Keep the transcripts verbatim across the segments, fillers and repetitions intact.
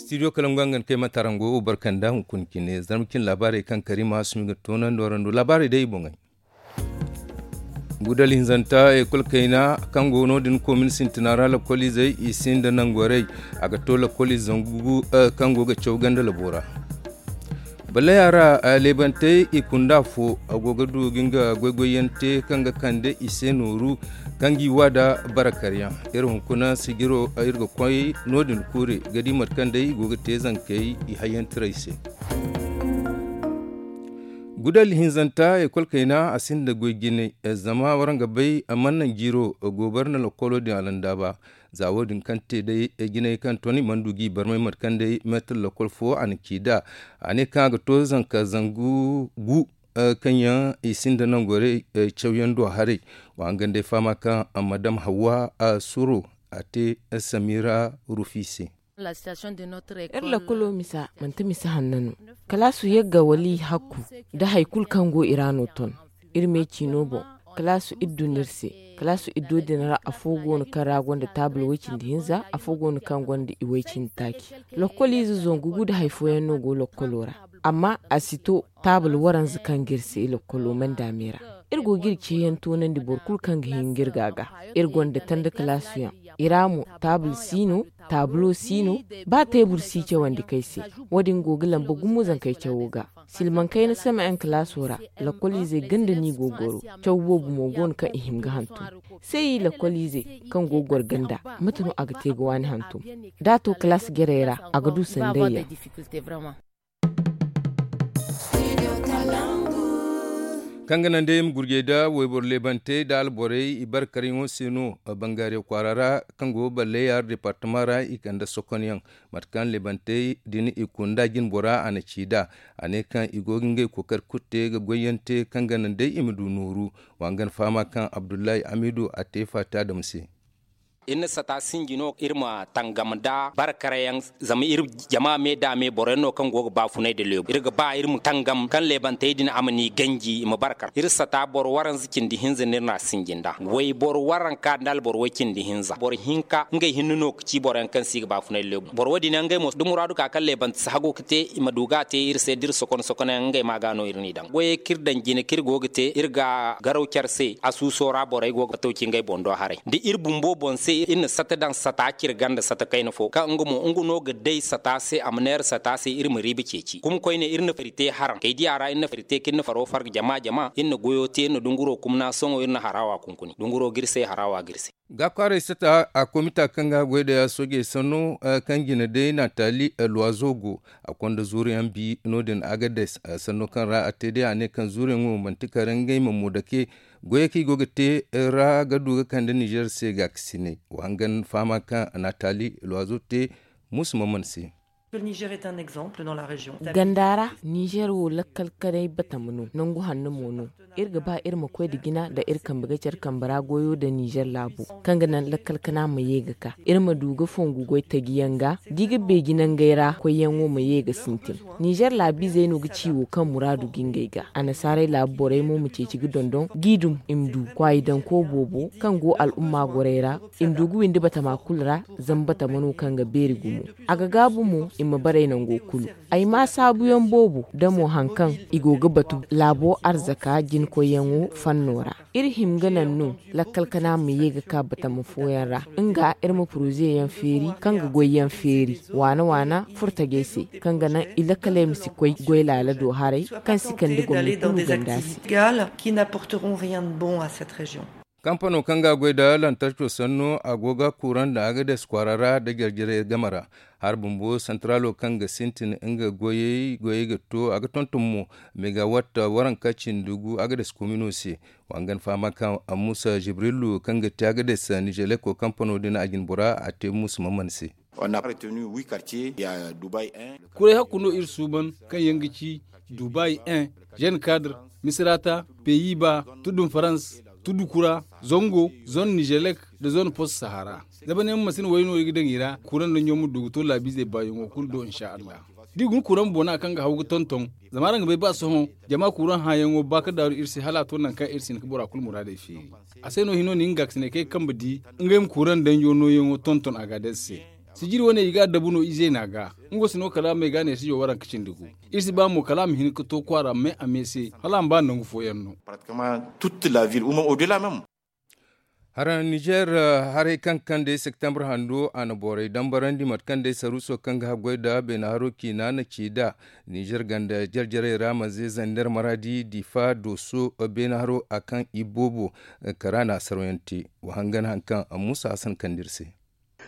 Studio kalangu a ga ni kay mate araŋ go barkanda hunkuna cine zarma cine laabaarey kaŋ karima sumi ga toonandi warando laabaarey day i boŋey. Gudal hinzanta ekol kayna kaŋ go no- din komin sintina ra lakkoliizey i sinda nangorey. A ga to lakkoliize zangu kaŋ go ga caw ganda labo ra. Balaya ra leebantey i kunda fo a go ga du ga nga goygoyyaŋ te kaŋ ga kande i se nooru kaŋ g'i wa da barakaryaŋ. Iri hunkuna sijiro iri ga koy no- din kuure ga di mate kaŋ day i go ga te zankey i hayyantirey se. Gudal hinzanta ekol kayna a sinda goy jinay. Zama waraŋ ga bay a mana naŋ jiiro gobar na lakkolo din a landa ba. Za wo- din kaŋ te day jinay kaŋ ton i mana du g'i barmay mate kaŋ day meetar lakkol fo a na ci nd'a. A ne kaŋ a ga to zanka zangu gu kaŋ yaŋ i sinda nangorey cawyaŋ do haray. Wa hangan day fahama kaŋ madam hawa suro a te samira rufi se. Iri lakkolo misa manti misa hanno no. Kalaasu yagga wala i hakku da hari kulu kaŋ go i ra no ton. Iri me ciino boŋ kalaasu iri dun iri se. Kalaasu iddo din ra afo go no kaŋ ra gonda taabul way-cindi hinza afo go no kaŋ gonda i way-cindi taaci. Lakkoliize zangu gu nda hari fooyaŋ no go lakkolo ra. Amma a si to taabul waranza kaŋ ga iri se lakkolo manda me ra. Iri go ga iri ceeyaŋ toonandi boro kulu kaŋ ga hin ga iri ga a ga. Iri gonda tanda kalaasuyaŋ. I ra mo taabul si no. Taabulo si no. Ba teebur si cawandi kay se. Wo- din go ga lamba gumo zankey cawo ga. Silmaŋ kayna sama yaŋ kalaaso ra. Lakkoliizey ganda no i go ga goro. Caw boobo mo go no kaŋ i hima ga hantum. Seeyi lakkoliizey kaŋ go ga goro ganda mate no a ga te ga waani hantum? Da a to kalaas jarey ra a ga du sanday yaŋ. Kaŋ ga naŋ day i ma gurjey nda wayboro leebantey nda alborey i bare karyaŋo se no. Bangaariya kwaara ra kaŋ go ga balle yaara departama ra i kande sokonyaŋ. Mate kaŋ leebantey din i kunda jinbora a na ci nd'a. A ne kaŋ i go ga ngey kookari kulu te ga goyyaŋ te kaŋ ga naŋ day i ma du nooru. Wa hangan fahama kaŋ abdullahi amidu a te faati adama se. Iri na sata sinji no iri ma tangam nda barkarayaŋ. Zama iri jama me da me boroyaŋ no kaŋ go ga baafunay nda leebu iri ga ba iri ma tangam kaŋ leebantey din a ma ni ganji i ma barkar iri sata boro waranza cindi hinza no iri n'a sinji nda wayboro waranka nda alboro way cindi hinza boro hinka ngey hinne no ga ci boroyaŋ kaŋ se i ga baafunay nda leebu boro wo- din yaŋ ngey mo da muraadu ka kaŋ leebante si hagu ga te i ma du ga a te iri se da iri sokon sokonayaŋ ngey ma ga no iri n'i daŋ goyey kaŋ iri daŋ jine kaŋ iri go ga te iri ga garaw care se asuuso ra borey go ga tawci ngey boŋ do haray da iri bumbo boŋ se iri na sata daŋ sata cire ganda sata kayna fo kaŋ nga mo nga no ga day sata se a ma neera sata se iri ma riiba ceeci kuma koyne iri na fari te haraŋ kay diya ra iri na fari te kaŋ iri na faro farga jama jama iri na goyo te iri na dunguro kumna sohõ iri na harawa kunkuni dunguro ga iri se harawa ga iri se. Ga kwaaray sata a komita kaŋ ga goy da soojey sanno kaŋ jine day natali luwazo go. A konda zuuriyaŋ bi no- din agades sanno kaŋ ra a te day a ne kaŋ zuuriyaŋo manti kare ngey ma mo dake. Goyey kaŋ i go ga te ra ga du ga kande nizer se ga ga sinay wa hangan fahama kaŋ natali luwazo te. Musu maman se. Ganda ra nizer wo lakkal kanay batama no nangu hanno mo no. Iri ga ba iri ma koy nda jina nda iri kambe ga care kambe ra goyo nda nizer laabo kaŋ ga naŋ lakkal kana ma ye ga ka iri ma du ga fongu goy taji yaŋ ga da i ga beeji nangey ra koyyaŋo ma ye ga sintin. Nizer laabiizey no ga ci wo kaŋ muraadu ga ngey ga annasaarey laabu borey mo ma ceeci ga dondon g'i dum i ma du kwaayi danko boobo kaŋ go al'umma gorey ra. I ma du ga windi batama kulu ra zama batama no kaŋ ga beeri gumo. A ga gaabu mo i ma baray nango kulu. Ay ma saabuyaŋ boobo damo haŋ kaŋ i go ga batu laabo arzaka jinkoyyaŋo fanno ra. Iri hima ga naŋ no lakkal kana ma ye ga ka batama fooyaŋ ra nga iri ma poroze yaŋ feeri kaŋ ga goy yaŋ feeri waana waana furtajey se kaŋ ga naŋ i lakkaley ma si koy goy laala do haray kaŋ si kande gomni kulu ganda se. Kampano kaŋ ga goy nda lantarco sanno a go ga kuuraŋ nda agades kwaara ra nda jarjarey game ra. Hari bumbo santaralo kaŋ ga sintin nga goyey goyey ga to a ga tonton mo megawatt waranka cindi gu agades komino se. Wa hangan fahama kaŋ musa jibrilu kaŋ ga te agades nizeleko kampano din a jinbora a te musa maman se. Kuray hakku no iri suuban kaŋ yaŋ ga ci dubai un, jeune cadre, misirata, peyi ba, tudun farans, tudu kura, zango, zone nizelek, nda zone post sahara. Zama ne ma masina way no i ga daŋ i ra kuran da ɲooma du ga to laabiizey baayaŋo kulu do insa allah. Da i guna kuran boona kaŋ ga haw ga tonton zama araŋ ga bay ba sohõ jama kuran hãyaŋo ba ga daaru iri se hala a to nangu kaŋ iri si hin ga bora kulu muraadey feeri. A se no hino na hin ga ga si ne kaŋ ay kambe di ngey ma kuran danjo nooyaŋo tonton a ga day se. Sijiri wane i ga a dabu no ize no a ga. Nga wo si no kala a ma ay ga ne si yo waranka cindi gu. Iri si ba mo kala a ma hin ga to kwaara me a me se hala a ma ba nangu fooyaŋ no. Hara nizer haray kaŋ kande septembre hando a na borey dambarandi mate kaŋ day saruuso kaŋ ga haggoy nda beene haro ciina na ci nd'a. Nizer ganda jarjarey ra manze zander maradi difa dooso beene haro a kaŋ i boobo kara na a sarwayaŋ te. Wa hangan hari kaŋ muusa hasan kande iri se.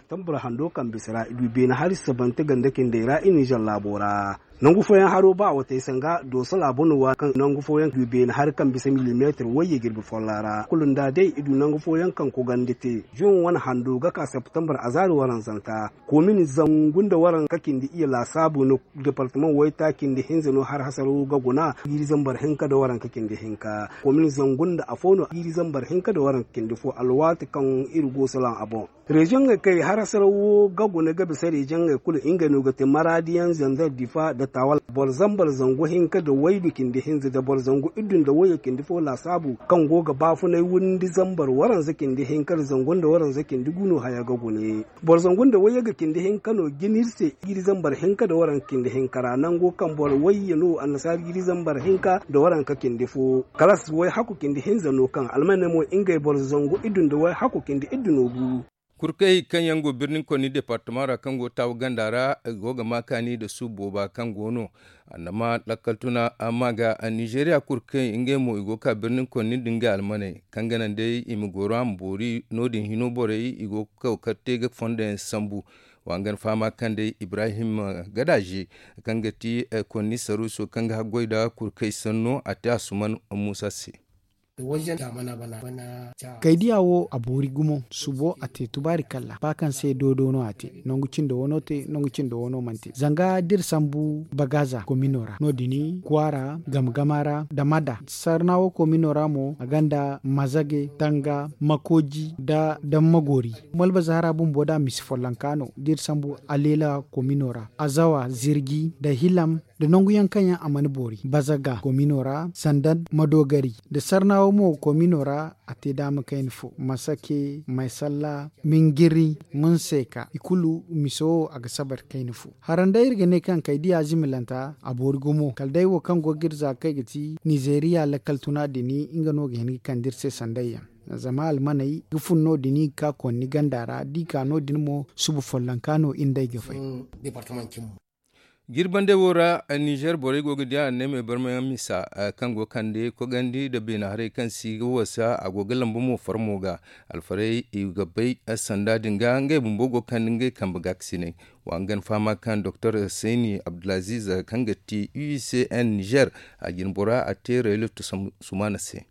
Tambura hando kaŋ bisa ra i du beene hari sabante ganda cindey ra i nizer laabo ra. Nangu fooyaŋ haro ba a watey sanga dooso laabo no waati kaŋ nangu fooyaŋ du beene hari kaŋ bisa milimeetir wayye jirbi follo ra kulu nda day i du nangu fooyaŋ kaŋ kogandi te. Juwan wane hando ga ka septembre azaari waranzanta komin zangu nda waranka cindi iyye laasaabu no. Departamaŋ waytaaci nda hinza no har hasaro ga guna jiiri zambar hinka nda waranka cindi hinka komin zangu nda afo no jiiri zambar hinka nda waranka cindi fo alwaati kaŋ iri go salaŋ a boŋ. Reziyoŋey kaŋ i har hasaraw wo ga guna ga bisa reziyoŋey kulu ngey no ga te maraadiyaŋ zanzar difa nda taawal boro zambar zangu hinka nda waydu cindi hinza nda boro zangu iddu nda wayye cindi fo laasaabu kaŋ go ga baafunay windi zambar waranza cindi hinka nda zangu nda waranza cindi gu no haya ga guna. Boro zangu nda wayye ga cindi hinka no jina iri se jiiri zambar hinka nda waranka cindi hinka ra nango kaŋ boro wayye no annasaara jiiri zambar hinka nda waranka cindi fo kalas way hakku cindi hinza no kaŋ almaney mo ngey boro zangu iddu nda way hakku cindi iddu no gu. Kurkey kaŋ yaŋ go birnin konni departama ra kaŋ go taawu ganda ra i go ga ma kaani nda suubu booba kaŋ go no annama lakkal tuna amma ga nizeeriya kurkey ngey mo i go ga ka birnin konni nda ngey almaney kaŋ ga naŋ day i ma goro a ma boori no- din hino borey i go ga kaw kar te ga fondo yaŋ sambu. Wa hangan fahama kaŋ day ibrahim gadaze kaŋ ga ti konni saruuso kaŋ ga haggoy nda kurkey sanno a te asuman muusa se. Kay diya wo a boori gumo subo a te tubaari kalla ba kaŋ se doodo no a te nangu cindo wano te nangu cindo wano mana te zanga da iri sambu bagaza komino ra no- din kwaara gamgama ra da mada sarna wo komino ra mo a gonda mazage tanga makooji nda damma goori. Malbazaara bumbo da misi follonka no da iri sambu aleela komino ra azawa zirji nda hilam nda nangu yaŋ kaŋ yaŋ a mana boori bazaga komino ra sanda madoogari nda sarnawo mo komino ra a te daama kayna fo masake maysalla mingiri munseka i kulu miso wo a ga sabar kayna fo. Haranday iri ga ne kaŋ kay diya zimilanta a boori gumo kala day wo kaŋ go ga iri za kaŋ ay ga ti nizeeriya lakkal tuna din nga no ga hin ga kande iri se sanday yaŋ zama almaney ga fun no- din i ga ka konni ganda ra da i ka no- din mo suba follonka no iri nd'ey ga fay. Jirbandey wo ra nizer borey go ga di annaymey barmayaŋ misa kaŋ go ga kande kogandi nda beene haray kaŋ si ga wasa a go ga lamba mo farmo ga alfarey i ga bay sanda din ga ngey bumbo go ga kande ngey kambe gaakasiney. Wa hangan fahama kaŋ doktor sayni abdulaziz kaŋ ga ti u i c n nizer a jinbora a te rayloto sumaana se.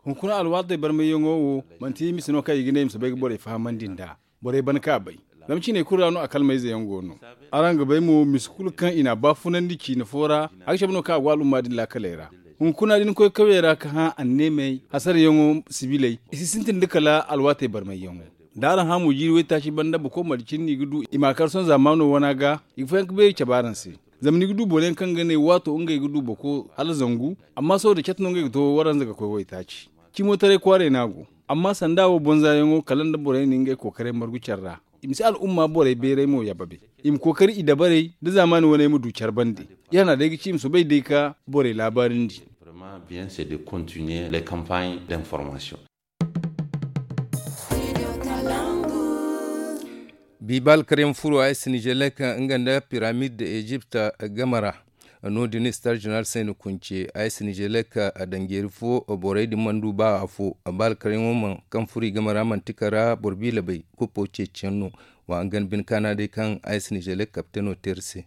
Hunkuna alwaatey barmayyaŋo wo manti misa no kaŋ i ga ne i ma soobay ga borey fahamandi nd'a. Borey ban ka bay zama ciiney kulu ra no a kalmayze yaŋ go no. Araŋ ga bay mo misa kulu kaŋ i n'a baafunandi ciina fo ra a ga cabe no kaŋ a go al'umma din laakaley ra. Hunkuna da ni koy kawey ra ka hã anneemey hasarayaŋo sibiley i si sintin nda kala alwaatey barmayyaŋo. Da araŋ hã mo jiiri waytaaci banda boko marcin no i ga du i ma a kar sohõ zaamaano wana ga i ga fayanka beeri cabe araŋ se. Zama ni ga du boro yaŋ kaŋ ga ne waato ngey ga du boko hala zangu amma sohõ da cate no ngey ga to waranza ga koy waytaaci. Cimo taray kwaaray no a go. Amma sanda wo bonzayaŋo kala nda borey na ngey kookaray margu care ra. I ma si al'umma borey beeray mo yababe. I ma kookari i dabarey da zaamaani waney ma du care bande. Iri hana day ga ci i ma soobay day ka borey laabaarindi. Bi ba alkaryaŋ furo a s nizelek nga nda piramid da ejipt game ra. No- din star general sayni kunce a s nizelek danjeeri fo borey din mana du ba afo. Ba alkaryaŋo mana kaŋ furo i game ra manti kara boro biila bay kuppo ceeciyaŋ no. Wa hangan bine kaana day kaŋ a s nizelek kapiteno te iri se.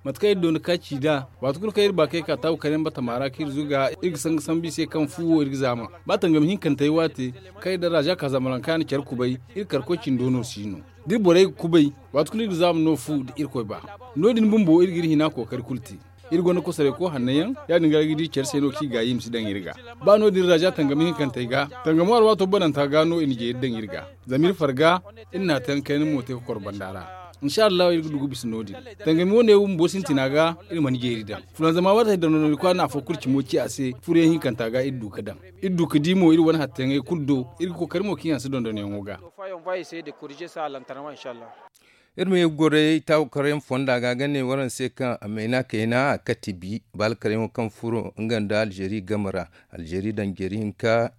Mate kaŋ iri doona ka ci nd'a waati kulu kaŋ iri ba kaŋ iri ka taabu kar yaŋ batama ra kaŋ iri zuga iri ga sanga sambu i se kaŋ fu wo iri ga zaama. Ba tangam hinkantey waate kaŋ iri da raza ka zamaranka na care kubay iri karkoy cindo no si no. Da iri borey ga kubay waati kulu iri ga zaama no fu da irkoy ba. No- din bumbo iri ga iri hina kookari kulu te. Iri gonda kosoray ko hanno yaŋ ya- din ga iri ga di care se no kaŋ i gaayi i ma si daŋ iri ga. Ba no- din raza tangam hinkantey ga tangamo alwaato bananta ga no i na jeeri daŋ iri ga. Zama iri farga iri na a te yaŋ kayna mo te ga koro banda ra. Insa allahu iri ga du ga bisa no- din. Tangami wane wo bumbo sintina ga iri mana jeeri daŋ fulanzama wata hari daŋ no no iri kwaara na afo kulu cimo ci a se furo yaŋ hinkanta ga iri du ga daŋ. Iri du ga di mo iri wane hattayaŋey kulu do. Iri ga kookari mo kaŋ yaŋ si dondonyaŋo ga. Iri ma ye ga goro day taawu karayaŋ fonda ga ga ne waraŋ se kaŋ a mayna kayna a kati bi baala karayaŋo kaŋ furo nga nda alzeeri game ra. Alzeeri daŋ jeeri hinka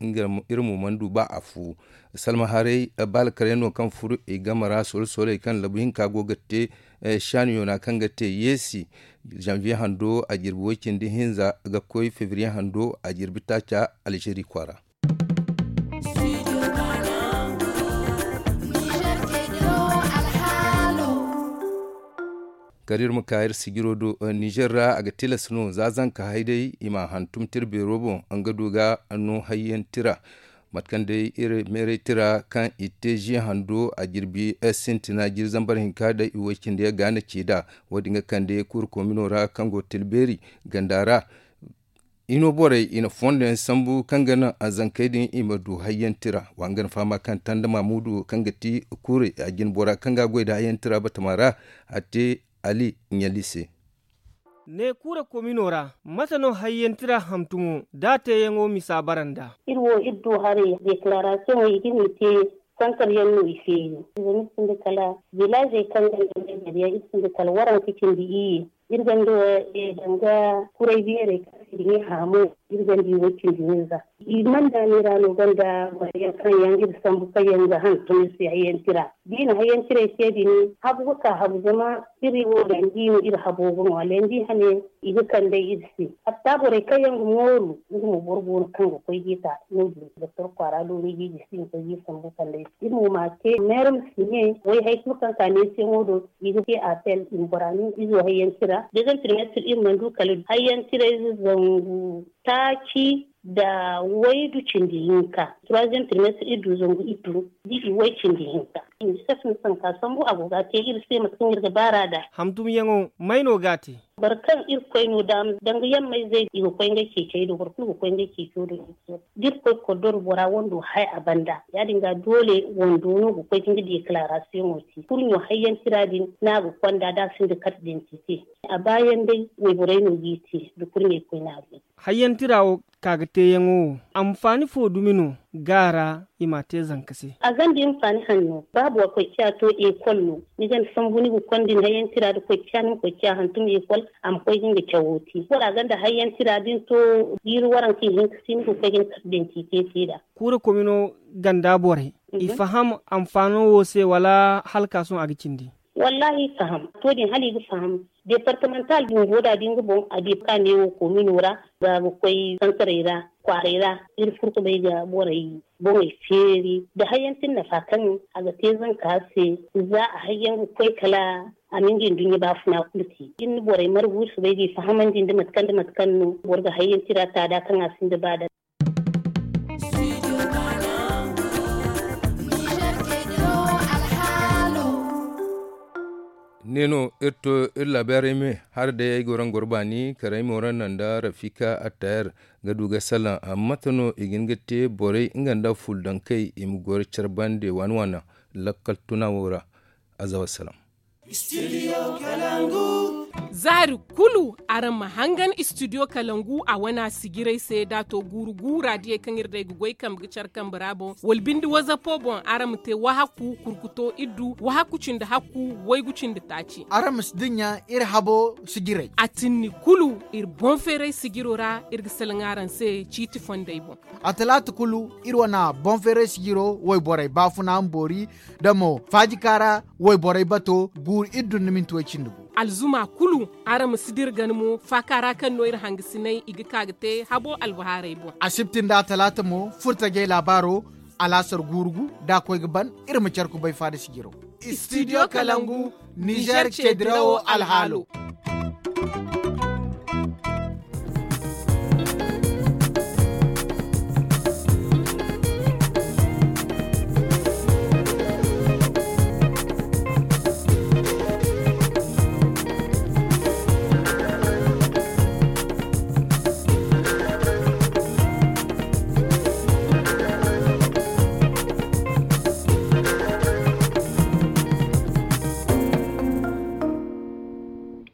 iri mo mana du ba a fu. Salma haray baala karayaŋo kaŋ furo i game ra solo soley kaŋ labu hinka go ga te. Saani yoona kaŋ ga te yeesi zanviye hando a jirbi way- cindi hinza ga koy febriye hando a jirbi taaca. Alzeeri kwaara. Kala iri ma ka iri sijiro do nizer ra a ga tilas no za zanka hay day i ma a hantum tira beero boŋ nga du ga no hayyaŋ tira. Mate kaŋ day iri meeray tira kaŋ i te ziya hando a jirbi sintina jiri zambar hinka day i way- cindi yaŋ ga na ci nd'a. Wo- din ga kande kuuru koomino ra kaŋ go tilbeeri ganda ra. I no borey i na fondo yaŋ sambu kaŋ ga naŋ a zankey din i ma du hayyaŋ tira wa nga na fahama kaŋ tanda maamudu kaŋ ga ti kuurey a jine bora kaŋ ga a goy nda hayyaŋ tira batama ra. A te ali ɲali se. Ne kuura komino ra mate no hayyaŋ tira hantumo da a teeyaŋo misa bara nd'a? Iri wo iri du haray deklaarasiyoŋey i ga ni te santar yaŋ no i feeri. Zama iri sinda kala vilaazey kaŋ ga nda meezer yaŋ iri sinda kala waranka cindi iyye. Iri ganda wo danga kuray beerey kaŋ se i ga ne haamu. Iri ganda i way cindi hinza. I mana daamey ra no ganda borey yaŋ kaŋ yaŋ iri sambu kaŋ yaŋ ga hantum iri se hayyaŋ tira. Da i na hayyaŋ tiray te din habu ga ka habu zama iri wo landi no iri habo ga ŋwa landi hane. I ga kande iri se hatta borey kaŋ yaŋ ga mooru. Iri mo boro go no kaŋ ga koy ga i ta no- din doktor kwaara looni ga i ga si ga koy ga i sambu kande iri se iri mo ma te meeram si ne way hari kulu kaŋ ka neesiyaŋo do. I ga te apel i ma bora no izo hayyaŋ tira dezem trimestre iri mana du kala hayyaŋ tirayze zangu taaci nda waydu cindi hinka. Troisième trimestre iri du zangu iddu da i way cindi hinka. Unicef no sanka sambu a go ga a te iri se mate kaŋ iri ga baar'a nd'a. Hantumyaŋo may no ga a te? Boro kaŋ irkoy no daama danga yammayzey i ga koy ngey ceecey do boro kulu ga koy ngey ceeco do. Da irkoy koddoro bora wando hay a banda ya- din ga doole wando no ga koy ga nga deklaarasiyoŋo te kurɲo hayyaŋ tira din no a ga konda da a sinda karte dentite. A baayaŋ day wayborey no g'i te da kurɲey koyne a ga. Hayyaŋ tira wo ka ga teeyaŋo wo anfaani fo dumi no ga a ra? I m'a te zanka se. A gonda anfaani hanno ba boro koy ciya to ekol no ni gonda sambu ni ga konda ni hayyaŋ tira da koy ciya ni ma koy ciya hantum ekol. A ma koy ga nga cawo te bora gonda hayyaŋ tira da ni to jiiri waranka ihinka se ni ga koy ga ni karte dentite te nd'a. Kuura komino ganda borey i faham anfaano wo se wala hala ka sohõ a ga cindi? Wallaahi i faham to din hala i ga faham. Departemantal bumbo da da nga boŋ a di ka neewo koomino ra ga ga koy santarey ra kwaaray ra. Iri furkubay ga borey boŋey feeri nda hayyaŋ ti nafa kaŋ a ga te zanka se. Za a hayyaŋ ga koy kala a ma nga nduɲɲa baafuna kulu te da ni na borey margu iri soobay ga i fahamandi nda mate kaŋ nda mate kaŋ no boro ga hayyaŋ tira taada kaŋ a sinda ba da. Ne no iri to iri laabaarey me hala day ay goro nga goro baani kala ay mo ra naŋ nda rafika attayar ga du ga salaŋ. Mate no i ga hin ga te borey nga nda fuldankey i ma goro care bande waani waani lakkal tuna wo ra. Aza wassalam. Zaari kulu araŋ ma hangan studio kalangu a wana sijiray se da a to guuru guura diyey kaŋ iri day ga goy kambe ga care kambe ra boŋ wala binde wazapo boŋ araŋ ma te wahakku kurkuto iddu wahakku cindi hakku waygu cindi taaci. Araŋ ma si dinya iri habo sijiray a tinni kulu iri boŋ feeray sijiro ra iri ga salaŋ araŋ se ciiti fondey boŋ. A talaata kulu iri wana boŋ feeray sijiro wayborey baafuna ma boori da mo faajika ra wayborey bato guuru iri dunna minti way cindi gu. Alzuma kulu araŋ ma si dira gana mo faaka ra kaŋ no iri hangasinay i ga ka ga te habo albahaarey boŋ. Asibti nda talaata mo furtajey laabaaro alaasar guuru gu da a koy ga ban iri ma care kubay faada sijiro. Studio kalangu nizer ce dirawo alhaalo.